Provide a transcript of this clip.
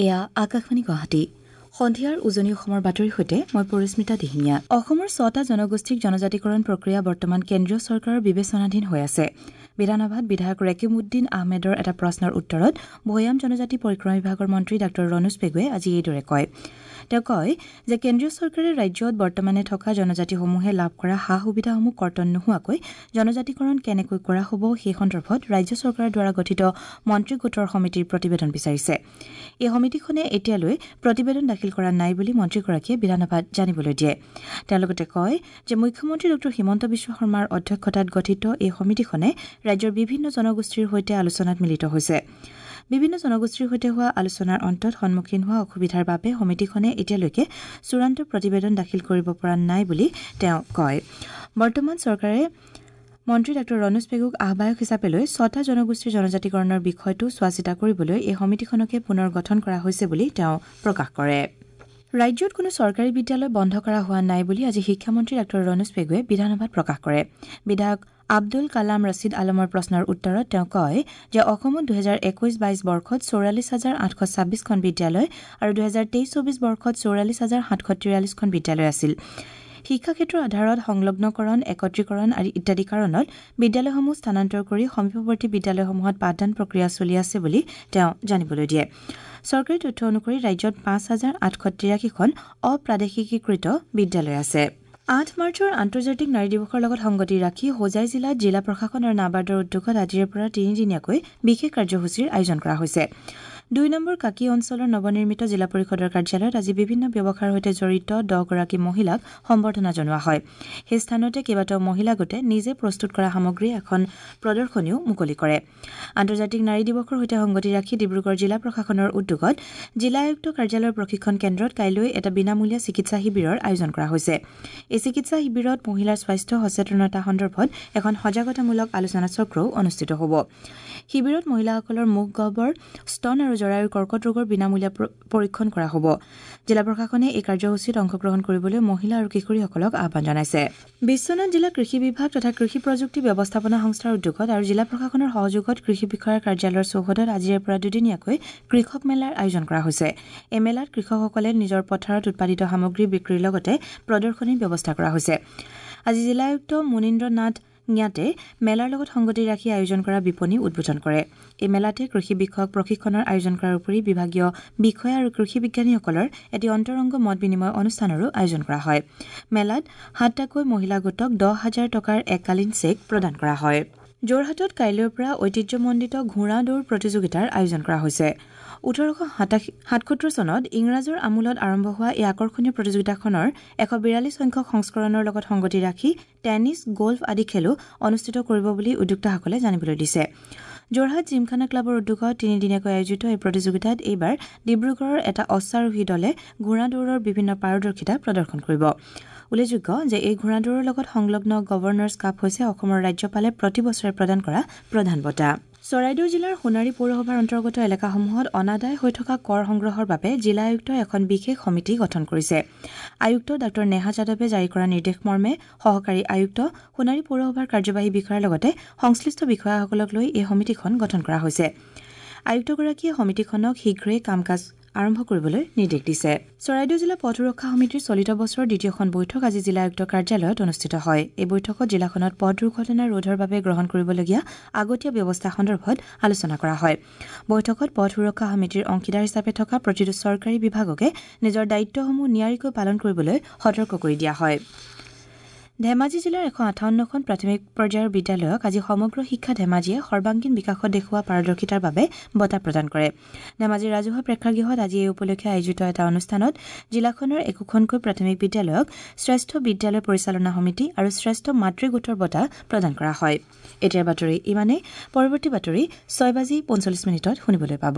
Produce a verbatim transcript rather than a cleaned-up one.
এয়া আকাশবাণী গুৱাহাটী। সন্ধিয়াৰ উজনি অসমৰ বাতৰিৰ সৈতে মই পৰিস্মিতা দিহিঙীয়া। অসমৰ ছটা জনগোষ্ঠীক জনজাতিকৰণ প্ৰক্ৰিয়া বৰ্তমান কেন্দ্ৰীয় চৰকাৰৰ বিবেচনাধীন হৈ আছে। বিধানসভাত বিধায়ক ৰেকিবুদ্দিন আহমেদৰ এটা প্ৰশ্নৰ উত্তৰত ভৈয়াম জনজাতি পৰিক্ৰমা বিভাগৰ মন্ত্ৰী ডাঃ ৰণোজ পেগুৱে আজি এইদৰে কয়। তেওঁ কয় যে কেন্দ্ৰীয় চৰকাৰে ৰাজ্যত বৰ্তমানে থকা জনজাতিসমূহে লাভ কৰা সা সুবিধাসমূহ কৰ্তন নোহোৱাকৈ জনজাতিকৰণ কেনেকৈ কৰা হ'ব সেই সন্দৰ্ভত ৰাজ্য চৰকাৰৰ দ্বাৰা গঠিত মন্ত্ৰী গোটৰ সমিতিৰ প্ৰতিবেদন বিচাৰিছে। এই সমিতিখনে এতিয়ালৈ প্ৰতিবেদন দাখিল কৰা নাই বুলি মন্ত্ৰীগৰাকীয়ে বিধানসভাত জানিবলৈ দিয়ে। তেওঁ লগতে কয় যে মুখ্যমন্ত্ৰী ডাঃ হিমন্ত বিশ্ব শৰ্মাৰ অধ্যক্ষতাত গঠিত এই সমিতিখনে ৰাজ্যৰ বিভিন্ন জনগোষ্ঠীৰ সৈতে আলোচনাত মিলিত হৈছে। বিভিন্ন জনগোষ্ঠীৰ সৈতে হোৱা আলোচনাৰ অন্তত সন্মুখীন হোৱা অসুবিধাৰ বাবে সমিতিখনে এতিয়ালৈকে চূড়ান্ত প্ৰতিবেদন দাখিল কৰিব পৰা নাই বুলি তেওঁ কয়। বৰ্তমান চৰকাৰে মন্ত্ৰী ডাঃ ৰণোজ পেগুক আহ্বায়ক হিচাপে লৈ ছটা জনগোষ্ঠীৰ জনজাতিকৰণৰ বিষয়টো চোৱাচিতা কৰিবলৈ এই সমিতিখনকে পুনৰ গঠন কৰা হৈছে বুলি তেওঁ প্ৰকাশ কৰে। ৰাজ্যত কোনো চৰকাৰী বিদ্যালয় বন্ধ কৰা হোৱা নাই বুলি আজি শিক্ষামন্ত্ৰী ডাঃ ৰণোজ পেগুৱে বিধানসভাত প্ৰকাশ কৰে। বিধায়ক আব্দুল কালাম ৰছিদ আলমৰ প্ৰশ্নৰ উত্তৰত তেওঁ কয় যে অসমত দুহেজাৰ একৈশ বাইশ বৰ্ষত চৌৰাল্লিছ হাজাৰ আঠশ ছাব্বিছখন বিদ্যালয় আৰু দুহেজাৰ তেইছ চৌবিছ বৰ্ষত চৌৰাল্লিছ হাজাৰ সাতশ তিৰাল্লিছখন বিদ্যালয় আছিল। শিক্ষাক্ষেত্ৰৰ আধাৰত সংলগ্নকৰণ, একত্ৰীকৰণ আদি ইত্যাদি কাৰণত বিদ্যালয়সমূহ স্থানান্তৰ কৰি সমীপৱৰ্তী বিদ্যালয়সমূহত পাঠদান প্ৰক্ৰিয়া চলি আছে বুলি তেওঁ জানিবলৈ দিয়ে। চৰকাৰী তথ্য অনুসৰি ৰাজ্যত পাঁচ হাজাৰ আঠশ তিৰাশীখন অপ্ৰাদেশিকীকৃত বিদ্যালয় আছে। আঠ মাৰ্চৰ আন্তৰ্জাতিক নাৰী দিৱসৰ লগত সংগতি ৰাখি হোজাই জিলাত জিলা প্ৰশাসন আৰু নাবাৰ্ডৰ উদ্যোগত আজিৰে পৰা তিনিদিনীয়াকৈ বিশেষ কাৰ্যসূচীৰ আয়োজন কৰা হৈছে। দুই নম্বৰ কাকি অঞ্চলৰ নৱনিৰ্মিত জিলা পৰিষদৰ কাৰ্যালয়ত আজি বিভিন্ন ব্যৱসায়ৰ সৈতে জড়িত দহগৰাকী মহিলাক সম্বৰ্ধনা জনোৱা হয়। সেই স্থানতে কেইবাটাও মহিলা গোটে নিজে প্ৰস্তুত কৰা সামগ্ৰীৰ এখন প্ৰদৰ্শনীও মুকলি কৰে। আন্তৰ্জাতিক নাৰী দিৱসৰ সৈতে সংগতি ৰাখি ডিব্ৰুগড় জিলা প্ৰশাসনৰ উদ্যোগত জিলা আয়ুক্ত কাৰ্যালয়ৰ প্ৰশিক্ষণ কেন্দ্ৰত কাইলৈ এটা বিনামূলীয়া চিকিৎসা শিবিৰৰ আয়োজন কৰা হৈছে। এই চিকিৎসা শিবিৰত মহিলাৰ স্বাস্থ্য সচেতনতা সন্দৰ্ভত এখন সজাগতামূলক আলোচনা চক্ৰও অনুষ্ঠিত হ'ব। শিবিৰত মহিলাসকলৰ মুখ গহ্বৰ, স্তন আৰু জৰায়ুৰ কৰ্কট ৰোগৰ বিনামূলীয়া পৰীক্ষণ কৰা হ'ব। জিলা প্ৰশাসনে এই কাৰ্যসূচীত অংশগ্ৰহণ কৰিবলৈ মহিলা আৰু কিশোৰীসকলক আহ্বান জনাইছে। বিশ্বনাথ জিলা কৃষি বিভাগ তথা কৃষি প্ৰযুক্তি ব্যৱস্থাপনা সংস্থাৰ উদ্যোগত আৰু জিলা প্ৰশাসনৰ সহযোগত কৃষি বিষয়াৰ কাৰ্যালয়ৰ চৌহদত আজিৰে পৰা দুদিনীয়াকৈ কৃষক মেলাৰ আয়োজন কৰা হৈছে। এই মেলাত কৃষকসকলে নিজৰ পথাৰত উৎপাদিত সামগ্ৰী বিক্ৰীৰ লগতে প্ৰদৰ্শনীৰ ব্যৱস্থা কৰা হৈছে। আজি জিলা আয়ুক্ত মুনীন্দ্ৰ নাথ ঙাটে মেলাৰ লগত সংগতি ৰাখি আয়োজন কৰা বিপণী উদ্বোধন কৰে। এই মেলাতে কৃষি বিষয়ক প্ৰশিক্ষণৰ আয়োজন কৰাৰ উপৰি বিভাগীয় বিষয়া আৰু কৃষি বিজ্ঞানীসকলৰ এটি অন্তৰংগ মত বিনিময় অনুষ্ঠানৰো আয়োজন কৰা হয়। মেলাত সাতটাকৈ মহিলা গোটক দহ হাজাৰ টকাৰ এককালীন চেক প্ৰদান কৰা হয়। যোৰহাটত কাইলৈৰ পৰা ঐতিহ্যমণ্ডিত ঘোঁৰা দৌৰ প্ৰতিযোগিতাৰ আয়োজন কৰা হৈছে। ওঠৰশ সাতসত্তৰ চনত ইংৰাজৰ আমোলত আৰম্ভ হোৱা এই আকৰ্ষণীয় প্ৰতিযোগিতাখনৰ এশ বিৰাল্লিছ সংখ্যক সংস্কৰণৰ লগত সংগতি ৰাখি টেনিছ, গল্ফ আদি খেলো অনুষ্ঠিত কৰিব বুলি উদ্যোক্তাসকলে জানিবলৈ দিছে। যোৰহাট জিমখানা ক্লাবৰ উদ্যোগত তিনিদিনীয়াকৈ আয়োজিত এই প্ৰতিযোগিতাত এইবাৰ ডিব্ৰুগড়ৰ এটা অশ্বাৰোহী দলে ঘোঁৰা দৌৰৰ বিভিন্ন পাৰদৰ্শিতা প্ৰদৰ্শন কৰিব। উল্লেখযোগ্য যে এই ঘোঁৰা দৌৰৰ লগত সংলগ্ন গভৰ্ণৰ্ছ কাপ হৈছে অসমৰ ৰাজ্যপালে প্ৰতি বছৰে প্ৰদান কৰা প্ৰধান বঁটা। চৰাইদেউ জিলাৰ সোণাৰী পৌৰসভাৰ অন্তৰ্গত এলেকাসমূহত অনাদায় হৈ থকা কৰ সংগ্ৰহৰ বাবে জিলা আয়ুক্তই এখন বিশেষ সমিতি গঠন কৰিছে। আয়ুক্ত ডাঃ নেহা যাদৱে জাৰি কৰা নিৰ্দেশ মৰ্মে সহকাৰী আয়ুক্ত, সোণাৰী পৌৰসভাৰ কাৰ্যবাহী বিষয়াৰ লগতে সংশ্লিষ্ট বিষয়াসকলক লৈ এই সমিতিখন গঠন কৰা হৈছে। আয়ুক্তগৰাকীয়ে সমিতিখনক শীঘ্ৰেই কাম কাজ আৰম্ভ কৰিবলৈ নিৰ্দেশ দিছে। চৰাইদেউ জিলা পথ সুৰক্ষা সমিতিৰ চলিত বছৰৰ দ্বিতীয়খন বৈঠক আজি জিলা আয়ুক্ত কাৰ্যালয়ত অনুষ্ঠিত হয়। এই বৈঠকত জিলাখনত পথ দুৰ্ঘটনা ৰোধৰ বাবে গ্ৰহণ কৰিবলগীয়া আগতীয়া ব্যৱস্থা সন্দৰ্ভত আলোচনা কৰা হয়। বৈঠকত পথ সুৰক্ষা সমিতিৰ অংশীদাৰ হিচাপে থকা প্ৰতিটো চৰকাৰী বিভাগকে নিজৰ দায়িত্বসমূহ নিয়াৰিকৈ পালন কৰিবলৈ সতৰ্ক কৰি দিয়া হয়। ধেমাজি জিলাৰ এশ আঠাৱন্নখন প্ৰাথমিক পৰ্যায়ৰ বিদ্যালয়ক আজি সমগ্ৰ শিক্ষা ধেমাজিয়ে সৰ্বাংগীন বিকাশত দেখুওৱা পাৰদৰ্শিতাৰ বাবে বঁটা প্ৰদান কৰে। ধেমাজিৰ ৰাজহুৱা প্ৰেক্ষাগৃহত আজি এই উপলক্ষে আয়োজিত এটা অনুষ্ঠানত জিলাখনৰ একোখনকৈ প্ৰাথমিক বিদ্যালয়ক শ্ৰেষ্ঠ বিদ্যালয় পৰিচালনা সমিতি আৰু শ্ৰেষ্ঠ মাতৃ গোটৰ বঁটা প্ৰদান কৰা হয়। এতিয়াৰ বাতৰি ইমানেই। পৰৱৰ্তী বাতৰি ছয় বাজি পঞ্চল্লিছ মিনিটত শুনিবলৈ পাব।